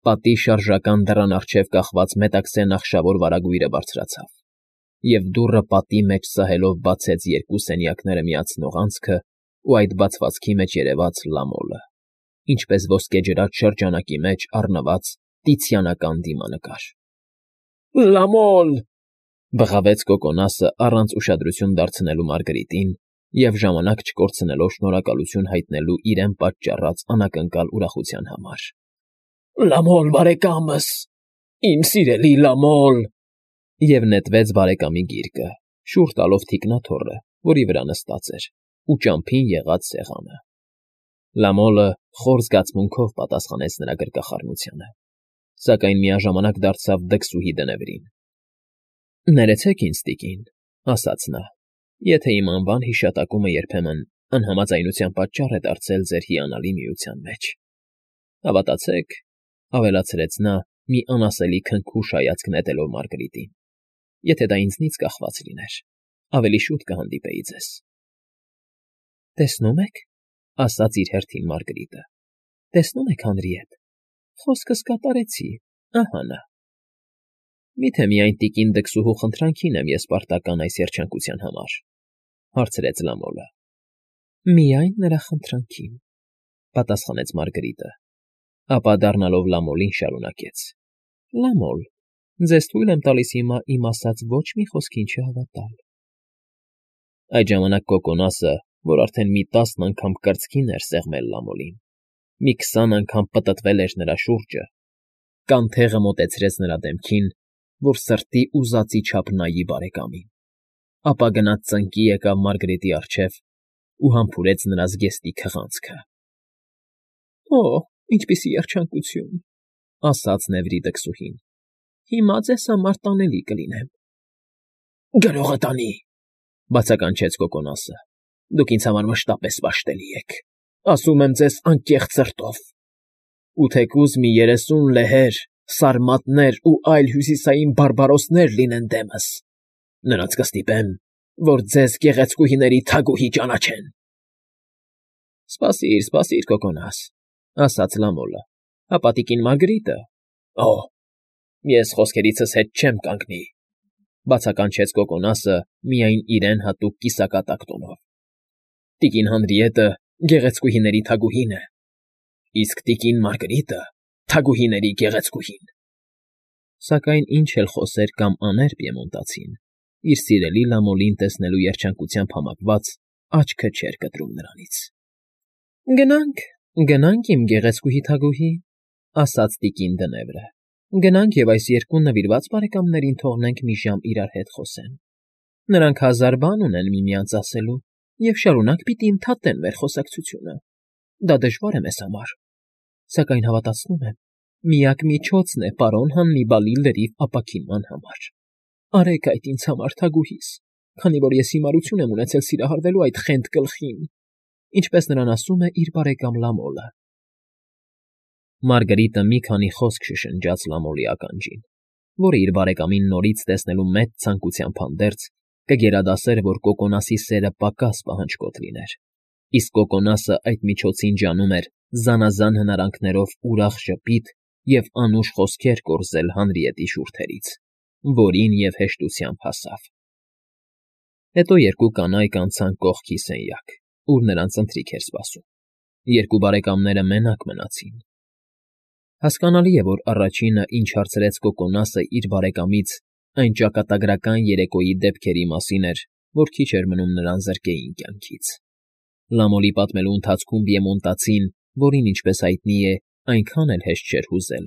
Պատի շարժական դռան առջև կախված մետաքսե նախշավոր վարագույրը բարձրացավ, և դուռը պատի մեջ սահելով բացեց երկու սենյակները միացնող անցքը ու այդ բացվածքի մեջ երևաց Լամոլը, ինչպես ոսկեջրած շրջանակի մեջ առնված տիցիանական դիմանկար։ ֊ Լամոլ,֊ բղավեց Կոկոնասը առանց ուշադրություն դարձնելու Մարգարիտին և ժամանակ չկորցնելով շնորհակալություն հայտնելու իրեն պատճառած անակնկալ ուրախության համար։ ֊ Լամոլ բարեկամս, իմ սիրելի Լամոլ…֊ Եվ նետվեց բարեկամի գիրկը, շուռ տալով թիկնաթոռը, որի վրա նստած էր, ու ճամփին եղած սեղանը։ Լամոլը խոր զգացմունքով պատասխանեց նրա գրկախառնությանը, սակայն միաժամանակ դարձավ դքսուհի դնևրին։ ֊ Ներեցեք ինձ, տիկին,֊ ասաց նա,֊ եթե իմ անվան հիշատակումը երբեմն անհամաձայնության պատճառ է դարձել ձեր հիանալի միության մեջ։ Հավատացեք,֊ ավելացրեց նա, մի անասելի քնքուշ հայացք նետելով Մարգարիտին,֊ եթե դա ինձնից կախված լիներ, ավելի շուտ կհանդիպեի ձեզ։ ֊ Տեսնում եք,֊ ասաց իր հերթին Մարգարիտը,֊ տեսնում եք, Հանրիետ, խոսքս կատարեցի, ահա նա։ ֊ Մի՞թե միայն տիկին դքսուհու խնդրանքին եմ ես պարտական այս երջանկության համար,֊ հարցրեց Լամոլը։ ֊ Միայն նրա խնդրանքին,֊ պատասխանեց Մարգարիտը, ապա դառնալով Լամոլին շարունակեց. Լամոլ, ձեզ թույլ եմ տալիս հիմա իմ ասած ոչ մի խոսքին չհավատալ։ Այդ ժամանակ Կոկոնասը, որ արդեն մի 10 անգամ կրծքին էր սեղմել Լամոլին, մի 20 անգամ պտտվել էր նրա շուրջը, կանթեղը մոտեցրեց նրա դեմքին, որ սրտի ուզածի չափ նայի բարեկամին, ապա գնաց ծնկի եկավ Մարգարիտի առջև ու համբուրեց նրա զգեստի քղանցքը։ ֊ Օ՜, ինչպիսի երջանկություն,֊ ասաց նեվրի դքսուհին,֊ հիմա ձեզ համար տանելի կլինեմ։ ֊ Գրողը տանի,֊ բացականչեց Կոկոնասը,֊ դուք ինձ համար մշտապես պաշտելի եք, ասում եմ ձեզ անկեղծ սրտով, ու թեկուզ մի 30 լեհեր, սարմատներ ու այլ հյուսիսային բարբարոսներ լինեն դեմս, նրանց կստիպեմ, որ ձեզ գեղեցկուհիների թագուհի ճանաչեն։ ֊ Սպասիր, Կոկոնաս,֊ ասաց Լամոլը,֊ հապա տիկին Մարգարիտը… Օ՜, ես խոսքերիցս հետ չեմ կանգնի,֊ բացականչեց Կոկոնասը միայն իրեն հատուկ կիսակատակ տոնով,֊ տիկին Հանրիետը գեղեցկուհիների թագուհին է, իսկ տիկին Մարգարիտը թագուհիների գեղեցկուհին։ Սակայն ինչ էլ խոսեր կամ աներ պիեմոնտացին, իր սիրելի Լամոլին տեսնելու երջանկությամբ համակված աչքը չէր կտրում նրանից։ ֊ Գնանք, իմ գեղեցկուհի թագուհի,֊ ասաց տիկին Դնևրը,֊ գնանք և այս երկու նվիրված բարեկամներին թողնենք մի ժամ իրար հետ խոսեն։ Նրանք 1000 բան ունեն միմյանց ասելու և շարունակ պիտի ընդհատեն մեր խոսակցությունը։ Դա դժվար է մեզ համար, սակայն հավատացնում եմ, միակ միջոցն է պարոն Հաննիբալի լրիվ ապաքինման համար։ Արեք այդ ինձ համար, թագուհիս, քանի որ ես հիմարություն եմ ունեցել սիրահարվելու այդ խենթ գլխին, ինչպես նրան ասում է իր բարեկամ Լամոլը։ Մարգարիտը մի քանի խոսք շշնջաց Լամոլի ականջին, որը իր բարեկամին նորից տեսնելու մեծ ցանկությամբ հանդերձ կգերադասեր, որ Կոկոնասի սերը պակաս պահանջկոտ լիներ, իսկ Կոկոնասը այդ միջոցին ջանում էր զանազան հնարանքներով ուրախ ժպիտ և անուշ խոսքեր կորզել Հանրիետի շուրթերից, որին և հեշտությամբ հասավ։ Հետո երկու կանայք անցան կողքի սենյակ, ուր նրանց ընթրիք էր սպասում։ Երկու բարեկամները մենակ մնացին։ Հասկանալի է, որ առաջինը, ինչ հարցրեց Կոկոնասը իր բարեկամից, այն ճակատագրական երեկոյի դեպքերի մասին էր, որ քիչ էր մնում նրան զրկեին կյանքից։ Լամոլի պատմելու ընթացքում պիեմոնտացին, որին, ինչպես հայտնի է, այնքան էլ հեշտ չէր հուզել,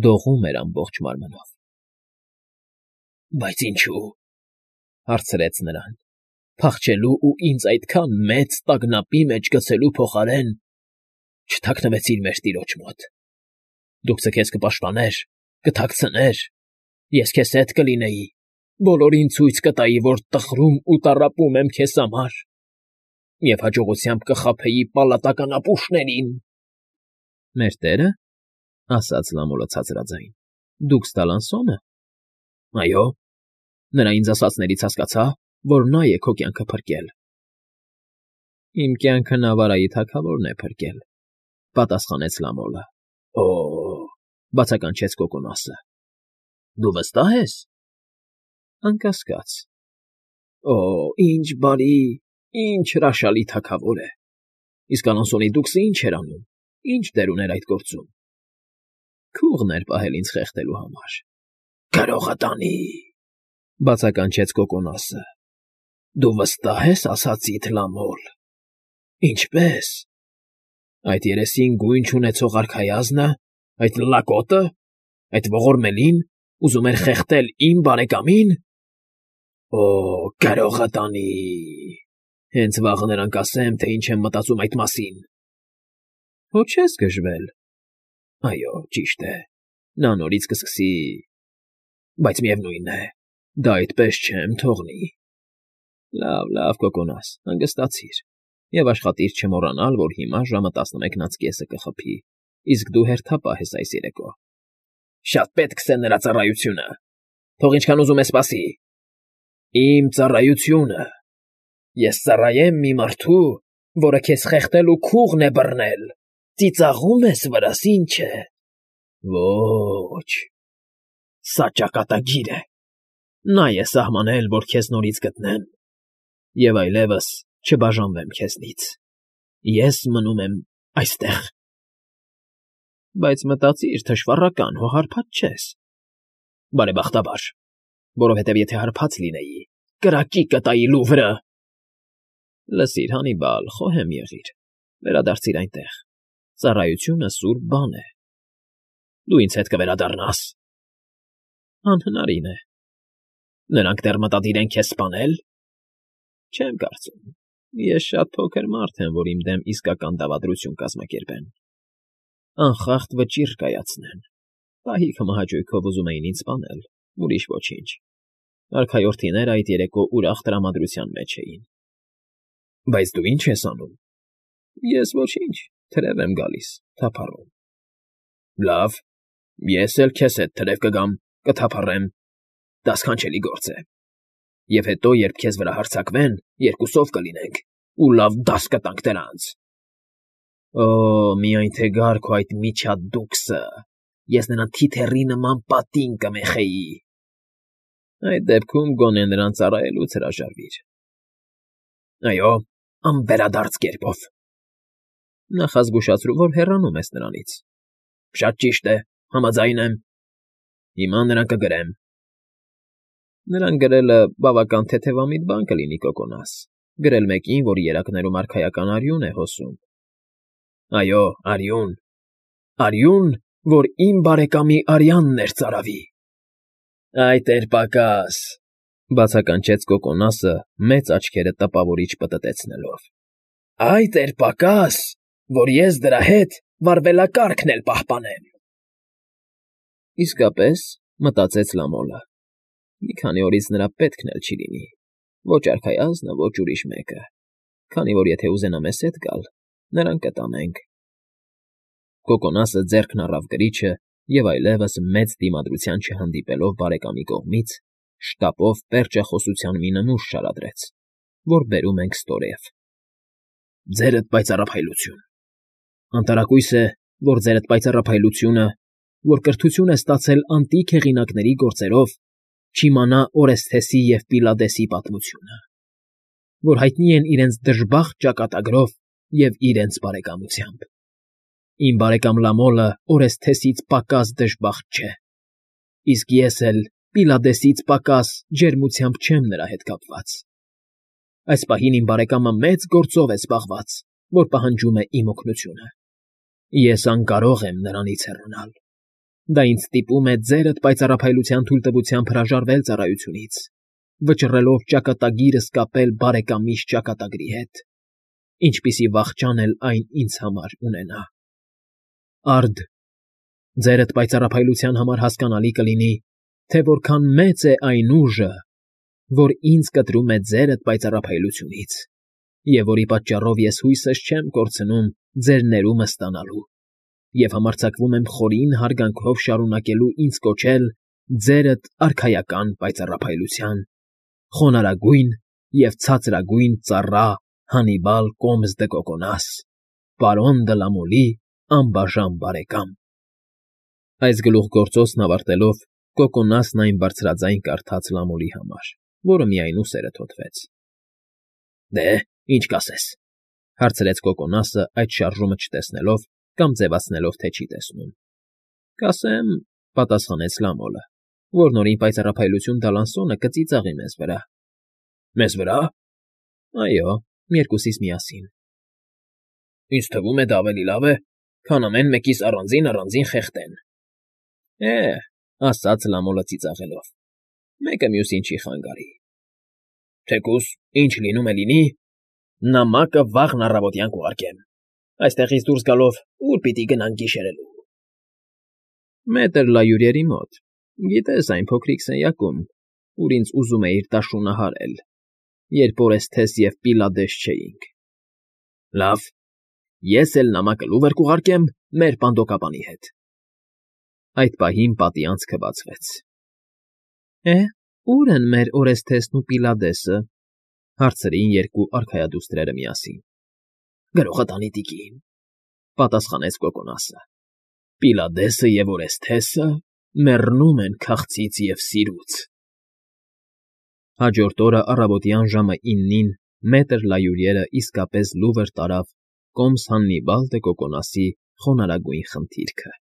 դողում էր ամբողջ մարմնով։ ֊ Բայց ինչո՞ւ,֊ հարցրեց նրան,֊ փախչելու ու ինձ այդքան մեծ տագնապի մեջ գցելու փոխարեն չթաքնվեցիր մեր տիրոջ մոտ։ Դու ձեզ կպաշտպաներ, կթաքցներ, ես քեզ հետ կլինեի, բոլորին ցույց կտայի, որ տխրում ու տառապում եմ քեզ համար, և հաջողությամբ կխաբեի պալատական ապուշներին։ ֊ Մեր տերը,֊ ասաց Լամոլը ցածրաձայն,֊ դուքս Տալանսո՞նը։ ֊ Այո, նրա ինձ ասածներից հասկացա, որ նա է քո կյանքը փրկել։ ֊ Իմ կյանքը Նավարայի թագավորն է փրկել,֊ պատասխանեց Լամոլը։ ֊ Օ՜, Բացականչեց Կոկոնասը։ Դու վստահ ես։ Անկասկած։ Օ, ինչ բարի, ինչ հրաշալի թագավոր է։ Իսկ Ալոնսոնի դուքսը ինչ էր անում, ինչ դեր ուներ այդ գործում։ Քուղն էր պահել ինձ խեղդելու համար։ Գրողը տանի, բացականչեց Կոկոնասը։ Դու վստահ ես ասածիդ, Լամոլ։ Ինչպե՞ս։ Այդ երեսին գույն չունեցող արքայազնը, այդ լակոտը, այդ ողորմելին ուզում էր խեղդել իմ բարեկամին։ Օ, գրողը տանի։ Հենց վաղը նրան կասեմ, թե ինչ եմ մտածում այդ մասին։ Հո չես գժվել։ Այո, ճիշտ է։ Նա նորից կսկսի։ Բայց միևնույն է, դա այդպես չեմ թողնի։ Լավ, Կոկոնաս, հանգստացիր և աշխատիր չմոռանալ, որ հիմա ժամը 11:30 կխփի, իսկ դու հերթապահ ես այս երեկո։ Շատ պետք է նրա ծառայությունը։ Թող ինչքան ուզում է սպասի։ Իմ ծառայությունը։ Ես ծառայեմ մի մարդու, որը քեզ խեղդել ու քուղն է բռնել։ Ծիծաղում ես վրաս, ինչ է։ Ոչ։ Սա ճակատագիր է։ Նա է սահմանել, որ քեզ նորից գտնեմ և այլևս չբաժանվեմ քեզնից։ Ես մնում եմ այստեղ։ Բայց մտածիր, թշվառական, հո հարբած չես։ Բարեբախտաբար, որովհետև եթե հարբած լինեի, կրակի կտայի Լուվրը։ Լսիր, Հանիբալ, խոհեմ եղիր, վերադարձիր այնտեղ։ Ծառայությունը սուրբ բան է։ Դու ինձ հետ կվերադառնաս։ Անհնարին է։ Նրանք դեռ մտադիր են քեզ սպանել։ Չեմ կարծում։ Ես շատ փոքր մարդ եմ, որ իմ դեմ իսկական դավադրություն կազմակերպեն։ Անխախտ վճիռ կայացնեն։ Պահիկ հմահաճույքով ուզում էին ինձ սպանել, ուրիշ ոչինչ։ Արքայորդիները այդ երեկո ուրախ տրամադրության մեջ էին։ Բայց դու ինչ ես անում։ Ես ոչինչ, թրև եմ գալիս, թափառում։ Լավ, ես էլ քեզ հետ թրև կգամ, կթափառեմ։ Դա սքանչելի գործ է։ Եվ հետո, երբ քեզ վրա հարձակվեն, երկուսով կլինենք, ու լավ դաս կտանք դրանց։ Օ, միայն թե գար քո այդ միջադուքսը, ես նրան թիթեռի նման պատին կմեխեի։ Այդ դեպքում գոնե նրան ծառայելուց հրաժարվիր։ Այո, անվերադարձ կերպով։ Նախազգուշացրու, որ հեռանում ես նրանից։ Շատ ճիշտ է, համաձայն եմ։ Հիմա նրան կգրեմ։ Նրան գրելը բավական թեթևամիտ բան կլինի, Կոկոնաս։ Գրել մեկին, որ երակներում արքայական արյուն է հոսում։ Այո, արյուն։ Արյուն, որ իմ բարեկամի արյանն էր ծարավի։ Այդ էր պակաս, բացականչեց Կոկոնասը, մեծ աչքերը տպավորիչ պտտեցնելով։ Այդ էր պակաս, որ ես դրա հետ վարվելակարգն էլ պահպանեմ։ Իսկապես, մտածեց Լամոլը։ Մի քանի օրից նրա պետքն էլ չի լինի։ Ոչ արքայազնը, ոչ ուրիշ մեկը։ Քանի որ եթե ուզենա մեզ հետ գալ, նրան կտանենք։ Կոկոնասը ձեռքն առավ գրիչը և այլևս մեծ դիմադրության չհանդիպելով բարեկամի կողմից, շտապով պերճախոսության մի նմուշ շարադրեց, որ բերում ենք ստորև։ Ձերդ պայծառափայլություն։ Անտարակույս է, որ ձերդ պայծառափայլությունը, որ կրթություն է ստացել անտիկ հեղինակների գործերով, չիմանա Օրեսթեսի և Պիլադեսի պատմությունը, որ հայտնի են իրենց դժբախտ ճակատագրով և իրենց բարեկամությամբ։ Իմ բարեկամ Լամոլը Օրեսթեսից պակաս դժբախտ չէ, իսկ ես էլ Պիլադեսից պակաս ջերմությամբ չեմ նրա հետ կապված։ Այս պահին իմ բարեկամը մեծ գործով է զբաղված, որ պահանջում է իմ օգնությունը։ Ես անկարող եմ նրանից հեռանալ։ Դա ինձ ստիպում է ձերդ պայծառափայլության թույլտվությամբ հրաժարվել ծառայությունից, վճռելով ճակատագիրս կապել բարեկամիս ճակատագրի հետ, ինչպիսի վախճան էլ այն ինձ համար ունենա։ Արդ, ձերդ պայծառափայլության համար հասկանալի կլինի, թե որքան մեծ է այն ուժը, որ ինձ կտրում է ձերդ պայծառափայլությունից, և որի պատճառով ես հույսս չեմ կորցնում ձեր ներումը ստանալու, և համարձակվում եմ խորին հարգանքով շարունակելու ինձ կոչել ձերդ արքայական պայծառափայլության, խոնարհագույն և ցածրագույն ծառա Հանիբալ Կոմս դը Կոկոնաս, պարոն դը Լամոլի անբաժան բարեկամ։ Այս գլուխգործոցն ավարտելով Կոկոնասն այն բարձրաձայն կարդաց Լամոլի համար, որը միայն ուսերը թոթվեց։ ֊ Դե, ինչ կասես,֊ հարցրեց Կոկոնասը այդ շարժումը չտեսնելով կամ ձևացնելով, թե չի տեսնում։ ֊ Կասեմ,֊ պատասխանեց Լամոլը,֊ որ նորին պայծառափայլություն տալ անսոնը կծիծաղի մեզ վրա։ ֊ Մեզ վրա՞։ ֊ Այո, երկուսիս միասին։ ֊ Ինձ թվում է, դա ավելի լավ է, քան ամեն մեկիս առանձին խեղդեն։ ֊ ասաց Լամոլը ծիծաղելով,֊ մեկը մյուսին չի խանգարի։ ֊ Թեկուզ ինչ լինում է լինի, նամակը վաղն առավոտյան կուղարկեմ։ Այստեղից դուրս գալով ուր պիտի գնանք գիշերելու։ ֊ Մետր Լայուրիերի մոտ, գիտես, այն փոքրիկ սենյակում, ուր ինձ ուզում էիր տաշունը հարել, երբ Օրեսթես և Պիլադես չէինք։ ֊ Լավ, ես էլ նամակը լուվր կուղարկեմ մեր պանդոկապանի հետ։ Այդ պահին պատի անցքը բացվեց։ ֊ Ո՞ւր են մեր Օրեսթեսն ու Պիլադեսը,֊ հարցրին երկու արքայադուստրերը միասին։ ֊ Գրողը տանի տիկին,֊ պատասխանեց Կոկոնասը,֊ Պիլադեսը և Օրեսթեսը մեռնում են քաղցից և սիրուց։ Հաջորդ օրը առավոտյան ժամը 9-ին մետր Լայուրիերը իսկապես լուվր տարավ Կոմս Հաննիբալ դե Կոկոնասի խոնարհագույն խնդիրքը։